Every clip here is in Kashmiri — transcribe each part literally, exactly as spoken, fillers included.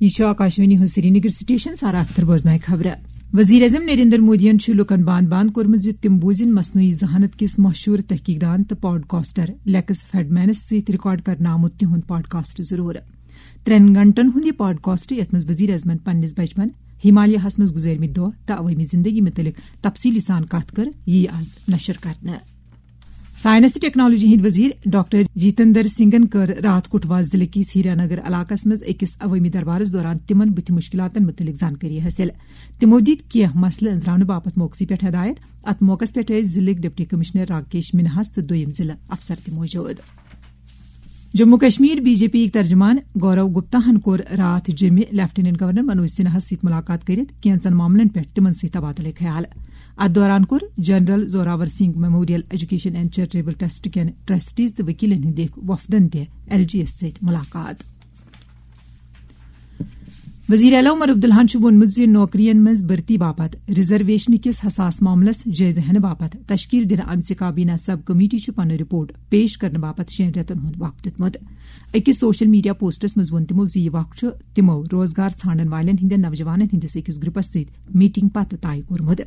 یہِ چھُ آکاشوانی ہُنٛد سرینگر سٹیشن، سارا اختر بوزنایہِ خبرٕ۔ وزیر اعظم نریندر مودیَن چھُ لوٗکَن باند باند کوٚرمُت زِ تِم بوزِن مصنوعی ذہانت کِس مشہوٗر تحقیق دان تہٕ پاڈکاسٹر لیکس فریڈمینس سۭتۍ ریکارڈ کرنہٕ آمُت تِہُنٛد پاڈکاسٹ ضروٗر۔ ترٛٮ۪ن گھنٹن ہُنٛد یہِ پاڈکاسٹ، یَتھ منٛز وزیر اعظمن پننِس بچپن، ہمالیاہس منٛز گُزٲرمٕتۍ دۄہ تہٕ عوٲمی زندگی مُتعلق تفصیٖلی سان کتھ کٔر، یِیہِ آز نشر کرنہٕ۔ ساینس تہٕ ٹیکنالوجی ہٕنٛدۍ وزیر ڈاکٹر جتندر سنگھن کٔر راتھ کٹھوا ضلعہٕ کِس ہیرانگر علاقس منٛز أکِس عوٲمی دربارس دوران تِمن بُتھِ مُشکِلاتن مُتعلق زانکٲری حٲصِل۔ تِمو دِتۍ کینٛہہ مسلہٕ أنٛزراونہٕ باپتھ موقعہٕ پٮ۪ٹھ ہدایت۔ اتھ موقعس پٮ۪ٹھ ٲسۍ ضلعٕکۍ ڈپٹی کمشنر راکیش منہاس تہٕ دوٚیِم ضلعہٕ افسر تہِ موجود۔ Jammu Kashmir B J P یِکۍ ترجمان گورو گپتا ہن کوٚر راتھ جیٚمہِ لیفٹیننٹ گورنر منوج سنہاہس سۭتۍ مُلاقات کٔرِتھ کینٛژن معاملن پٮ۪ٹھ تِمن سۭتۍ تبادلہٕ خیال۔ اتھ دوران کوٚر general Zorawar Singh memorial education and charitable trust کٮ۪ن ٹرسٹیز تہٕ وکیلن ہٕنٛدۍ أکۍ وفدن تہِ ایل جی یس سۭتۍ مُلاقات۔ وزیر اعلیٰ عمر عبداللہن چھُ ووٚنمُت زِ نوکرین منٛز بھرتی باپتھ ریزرویشن کِس حساس معاملس جٲیزٕ ہینہٕ باپتھ تشکیل دِنہٕ آمژِ کابینہ سب کمیٹی چھُ پنُن رپورٹ پیش کرنہٕ باپتھ شیٚن رٮ۪تن ہُنٛد وقت دیُتمُت۔ أکِس سوشل میڈیا پوسٹس منٛز ووٚن تِمو زِ یہِ وقت چھُ تِمو روزگار ژھانڈن والٮ۪ن ہٕنٛدٮ۪ن نوجوانن ہٕنٛدِس أکِس گروپس سۭتۍ میٹنگ پتہٕ طے کوٚرمُت۔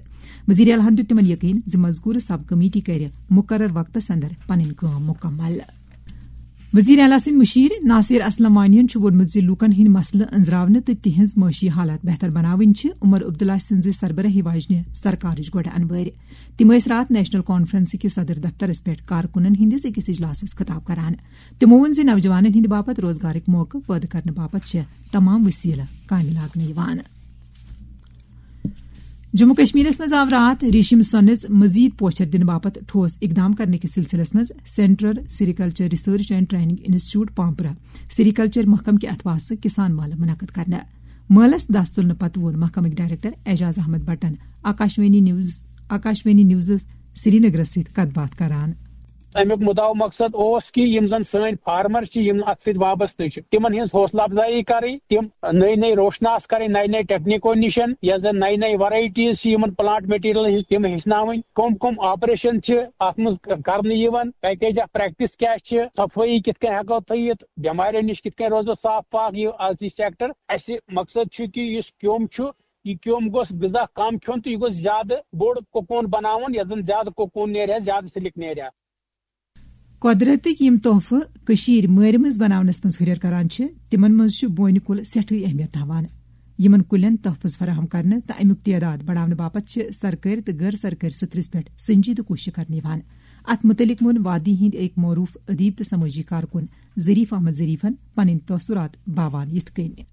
وزیر اعلیٰ ہن دیُت تِمن یقین زِ مذکورٕ سب کمیٹی کرِ مقرر وقتس اندر پنٕنۍ کٲم مکمل۔ وزیر اعلیٰ سٕنٛدۍ مشیر ناصر اسلم وانیَن چھُ ووٚنمُت زِ لوٗکَن ہٕنٛدۍ مسلہٕ أنٛزراونہٕ تہٕ تِہنٛز معاشی حالات بہتر بناوٕنۍ چھِ عمر عبداللہ سٕنٛزِ سربراہی واجنہِ سرکارٕچ گۄڈٕ انوٲرۍ۔ تِم ٲسۍ راتھ نیشنل کانفرنس کِس صدر دفترس پٮ۪ٹھ کارکُنن ہٕنٛدِس أکِس اجلاسس خطاب کران۔ تِمو ووٚن زِ نوجوانن ہٕنٛدِ باپتھ روزگارٕکۍ موقعہٕ پٲدٕ کرنہٕ باپتھ چھِ تمام وسیلہٕ کامہِ لاگنہٕ یِوان۔ جموں کشمیرس منٛز آو راتھ ریشم سۄنس مزید پوچھر دنہٕ باپتھ ٹھوس اقدام کرنہٕ کِس سلسلس منٛز central sericulture research and training institute Pampore sericulture محکمہٕ کہِ اتھواسہٕ کسان مٲلہٕ منعقد کرنہٕ۔ مٲلس دس تُلنہٕ پتہٕ ووٚن محکمٕکۍ ڈائریکٹر اعجاز احمد بٹن آکاشوانی نیوز، آکاشوانی نیوزس سرینگرس سۭتۍ کتھ باتھ کران۔ اَمیُک مُدعا و مقصد اوس کہِ یِم زَن سٲنۍ فارمر چھِ، یِم اَتھ سۭتۍ وابستہٕ چھِ، تِمن ہٕنٛز حوصلہٕ افزایی کَرٕنۍ، تِم نٔے نٔے روشناس کَرٕنۍ، نَیہِ نَیہِ ٹیکنیکو نِشن، یۄس زَن نَیہِ نَیہِ ورایٹیٖز چھِ یِمن پلانٹ مٹیریلن ہٕنٛز، تِم ہیٚچھناوٕنۍ، کٕم کٕم آپریشن چھِ اَتھ منٛز کرنہٕ یِوان، پیکیج آف پریکٹس کیٛاہ چھِ، صفٲیی کِتھ کٔنۍ ہٮ۪کو تھٲیِتھ، بٮ۪ماریو نِش کِتھ کٔنۍ روزو صاف پاک۔ یہِ آز یہِ سیکٹر، اَسہِ مقصد چھُ کہِ یُس کیوٚم چھُ، یہِ کیوٚم گوٚژھ غذا کم کھیوٚن تہٕ یہِ گوٚژھ زیادٕ بوٚڑ کوکون بناوُن، یَتھ زَن زیادٕ کوکون نیرِ ہا، زیادٕ سلک نیرِ ہا۔ قۄدرتٕکۍ یِم تحفہٕ کٔشیٖرِ مٲرِ منٛز بناونس منٛز ہُرٮ۪ر کران چھِ، تِمن منٛز چھُ بونہِ کُل سٮ۪ٹھٕے اہمیت تھاوان۔ یِمن کُلٮ۪ن تحفظ فراہم کرنہٕ تہٕ امیُک تعداد بڑاونہٕ باپتھ چھِ سرکٲرۍ تہٕ غٲر سرکٲرۍ سطحس پٮ۪ٹھ سنجیدٕ کوٗشش کرنہٕ یِوان۔ اتھ مُتعلق ووٚن وادی ہٕنٛدۍ أکۍ معروٗف ادیب تہٕ سمٲجی کارکُن ظریف احمد ظریفن پنٕنۍ تٲثرات باوان یِتھ کٔنۍ۔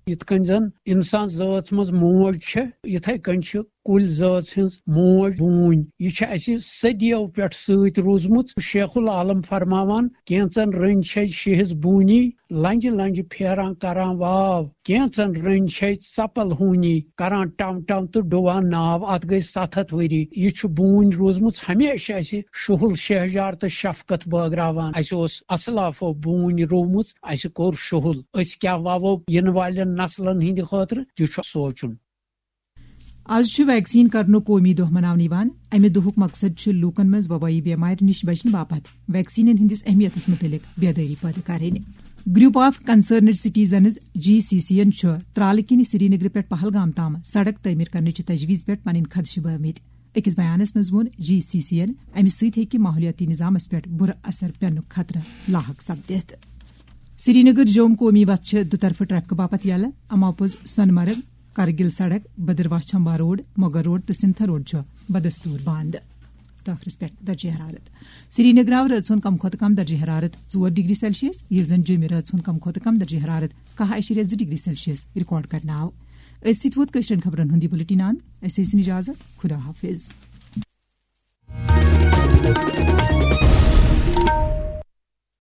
یِتھ کٔنۍ زن انسان ذٲژ منٛز موج چھےٚ، یِتھے کٔنۍ چھِ کُلۍ ذٲژ ہٕنٛز موج بوٗنۍ۔ یہِ چھِ اَسہِ صدیو پٮ۪ٹھ سۭتۍ روٗزمٕژ۔ شیخ العالم فرماوان، کینٛژن رٔنۍ چھے شیہس بوٗنی، لنجہِ لنجہِ پھیران کران واو۔ کینٛژن رٔنۍ چھے ژپل ہوٗنی، کران ٹم ٹم تہٕ ڈُوان ناو۔ اتھ گٔے ستھ ہتھ ؤری۔ یہِ چھُ بوٗنۍ روٗزمٕژ ہمیشہِ اَسہِ شُہُل شہجار تہٕ شفقت بٲگراوان۔ اَسہِ اوس اسلافو بوٗنۍ روٗومٕژ، اَسہِ کوٚر شُہُل۔ أسۍ کیٛاہ وَوو یِنہٕ والٮ۪ن نسلن ہٕنٛدِ خٲطرٕ، تہِ چھُ سونٛچُن۔ از چھُ ویکسین کرنُک قومی دۄہ مناونہٕ یِوان۔ امہِ دۄہُک مقصد چھُ لوٗکن منٛز وبٲیی بیمارِ نِش بچنہٕ باپتھ ویکسینن ہٕنٛدِس اہمیتس مُتعلق بیدٲری پٲدٕ کرٕنۍ۔ Group of concerned citizens, G C C, یَن چھُ ترالہٕ کِنۍ سرینگرٕ پٮ۪ٹھ پہلگام تام سڑک تعمیٖر کرنٕچہِ تجویز پٮ۪ٹھ پنٕنۍ خدشہٕ بٲومٕتۍ۔ أکِس بیانس منٛز ووٚن جی سی سی یَن، امہِ سۭتۍ ہیٚکہِ ماحولیٲتی نظامس پٮ۪ٹھ بُرٕ اثر پٮ۪نُک خطرٕ لاحق سپدِتھ۔ سرینگر جوم قومی وتھ چھِ دُطرفہٕ ٹریفک باپتھ یلہٕ۔ اماپوٚز سۄنہٕ مرگ، کرگل سڑک، بدرواہ چھمبا روڈ، مغل روڈ تہٕ سنتھر روڈ چھُ بدستور بند۔ تہٕ ٲخرس پٮ۪ٹھ درجہ حرارت۔ سرینگر آو رٲژ ہُنٛد کم کھۄتہٕ کم درجہ حرارت ژور ڈگری سیلسیس، ییٚلہِ زن جوٚمہِ رٲژ ہُنٛد کم کھۄتہٕ کم درجہ حرارت کاہ اعشاریہ زٕ ڈگری سیلسیس ریکارڈ کرنہٕ آو۔ أتھۍ سۭتۍ ووت کٲشرٮ۪ن خبرن ہُنٛد یہِ بُلٹن اند۔ أسۍ ٲسِن اجازت۔ خدا حافظ۔